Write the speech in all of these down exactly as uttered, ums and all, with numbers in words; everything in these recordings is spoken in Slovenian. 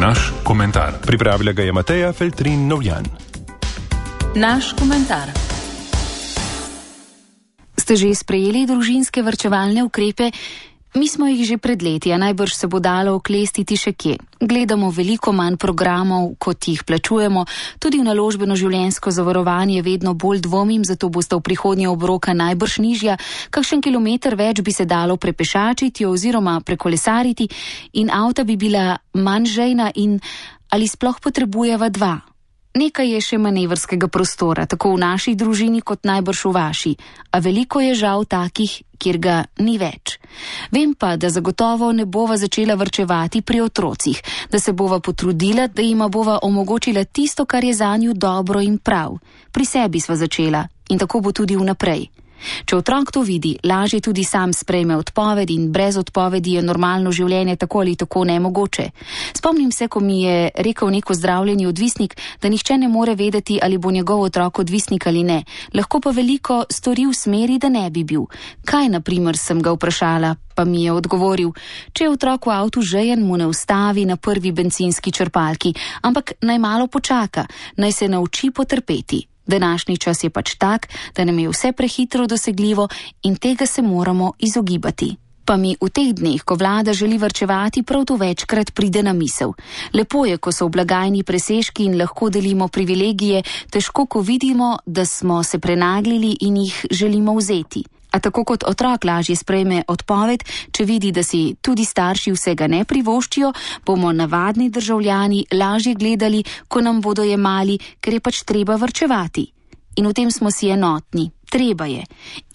Naš komentar. Pripravila ga je Mateja Feltrin Novjan. Naš komentar. Ste že sprejeli družinske varčevalne ukrepe? Mi smo jih že pred leti, a najbrž se bo dalo oklestiti še kje. Gledamo veliko manj programov, kot jih plačujemo, tudi v naložbeno življenjsko zavarovanje vedno bolj dvomim, zato bosta v prihodnje obroka najbrž nižja, kakšen kilometer več bi se dalo prepešačiti oziroma prekolesariti in avta bi bila manj žejna in ali sploh potrebujeva dva. Nekaj je še manevrskega prostora, tako v naši družini kot najbrž v vaši, a veliko je žal takih, kjer ga ni več. Vem pa, da zagotovo ne bova začela varčevati pri otrocih, da se bova potrudila, da jima bova omogočila tisto, kar je zanju dobro in prav. Pri sebi sva začela in tako bo tudi vnaprej. Če otrok to vidi, lažje tudi sam sprejme odpoved in brez odpovedi je normalno življenje tako ali tako nemogoče. Spomnim se, ko mi je rekel neko zdravljeni odvisnik, da nihče ne more vedeti, ali bo njegov otrok odvisnik ali ne, lahko pa veliko stori v smeri, da ne bi bil. Kaj, na primer, sem ga vprašala, pa mi je odgovoril, če je otrok v avtu žejen, mu ne ustavi na prvi bencinski črpalki, ampak naj malo počaka, naj se nauči potrpeti. Današnji čas je pač tak, da nam je vse prehitro dosegljivo in tega se moramo izogibati. Pa mi v teh dneh, ko vlada želi varčevati, prav to večkrat pride na misel. Lepo je, ko so v blagajni presežki in lahko delimo privilegije, težko, ko vidimo, da smo se prenaglili in jih želimo vzeti. A tako kot otrok lažje sprejme odpoved, če vidi, da si tudi starši vsega ne privoščijo, bomo navadni državljani lažje gledali, ko nam bodo jemali, ker je pač treba varčevati. In v tem smo si enotni. Treba je.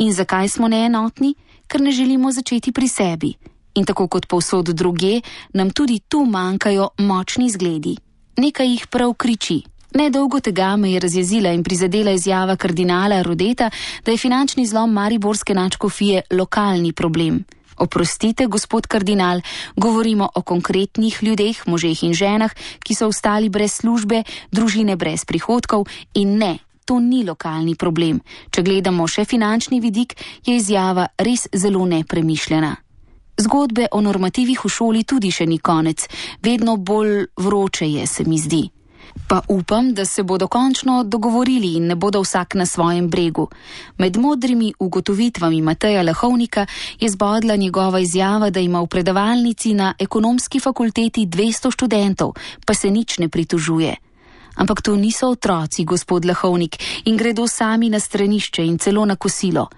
In zakaj smo neenotni? Ker ne želimo začeti pri sebi. In tako kot povsod druge, nam tudi tu manjkajo močni zgledi. Nekaj jih prav kriči. Nedolgo tega me je razjezila in prizadela izjava kardinala Rodeta, da je finančni zlom mariborske nadškofije lokalni problem. Oprostite, gospod kardinal, govorimo o konkretnih ljudeh, možeh in ženah, ki so ostali brez službe, družine brez prihodkov in ne, to ni lokalni problem. Če gledamo še finančni vidik, je izjava res zelo nepremišljena. Zgodbe o normativih v šoli tudi še ni konec, vedno bolj vroče je, se mi zdi. Pa upam, da se bodo končno dogovorili in ne bodo vsak na svojem bregu. Med modrimi ugotovitvami Mateja Lahovnika je zbodla njegova izjava, da ima v predavalnici na ekonomski fakulteti dvesto študentov, pa se nič ne pritožuje. Ampak to niso otroci, gospod Lahovnik, in gredo sami na stranišče in celo na kosilo.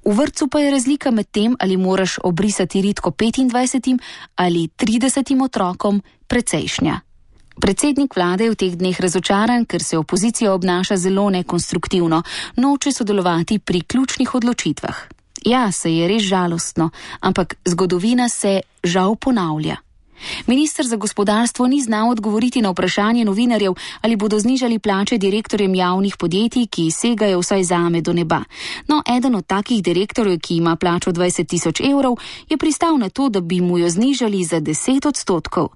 V vrtcu pa je razlika med tem, ali moraš obrisati ritko petindvajsetim ali tridesetim otrokom, precejšnja. Predsednik vlade je v teh dneh razočaran, ker se opozicija obnaša zelo nekonstruktivno, noče sodelovati pri ključnih odločitvah. Ja, se je res žalostno, ampak zgodovina se žal ponavlja. Minister za gospodarstvo ni znal odgovoriti na vprašanje novinarjev, ali bodo znižali plače direktorjem javnih podjetij, ki segajo vsaj zame do neba. No, eden od takih direktorjev, ki ima plačo dvajset tisoč evrov, je pristal na to, da bi mu jo znižali za deset odstotkov.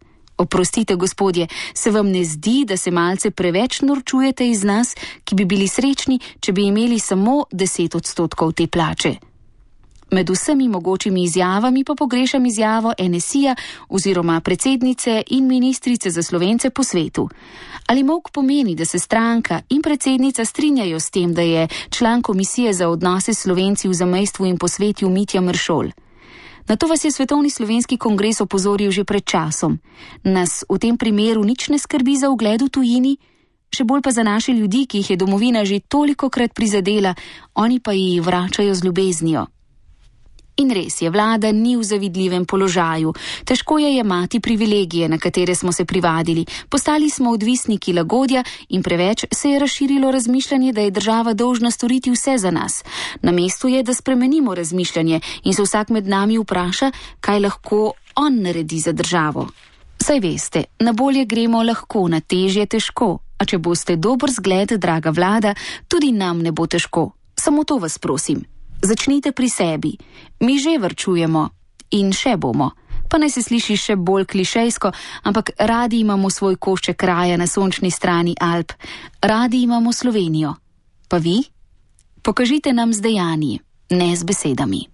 Oprostite, gospodje, se vam ne zdi, da se malce preveč norčujete iz nas, ki bi bili srečni, če bi imeli samo deset odstotkov te plače? Med vsemi mogočimi izjavami pa pogrešam izjavo en es i-ja oziroma predsednice in ministrice za Slovence po svetu. Ali molk pomeni, da se stranka in predsednica strinjajo s tem, da je član komisije za odnose s Slovenci v zamejstvu in po svetu Mitja Meršol? Na to vas je Svetovni slovenski kongres opozoril že pred časom. Nas v tem primeru nič ne skrbi za ugled v tujini, še bolj pa za naše ljudi, ki jih je domovina že tolikokrat prizadela, oni pa jih vračajo z ljubeznijo. In res je, vlada ni v zavidljivem položaju. Težko je jemati privilegije, na katere smo se privadili. Postali smo odvisniki lagodja in preveč se je razširilo razmišljanje, da je država dolžna storiti vse za nas. Na mestu je, da spremenimo razmišljanje in se vsak med nami vpraša, kaj lahko on naredi za državo. Saj veste, na bolje gremo lahko, na težje težko. A če boste dober zgled, draga vlada, tudi nam ne bo težko. Samo to vas prosim. Začnite pri sebi. Mi že varčujemo in še bomo. Pa naj se sliši še bolj klišejsko, ampak radi imamo svoj košček kraja na sončni strani Alp. Radi imamo Slovenijo. Pa vi? Pokažite nam z dejanji, ne z besedami.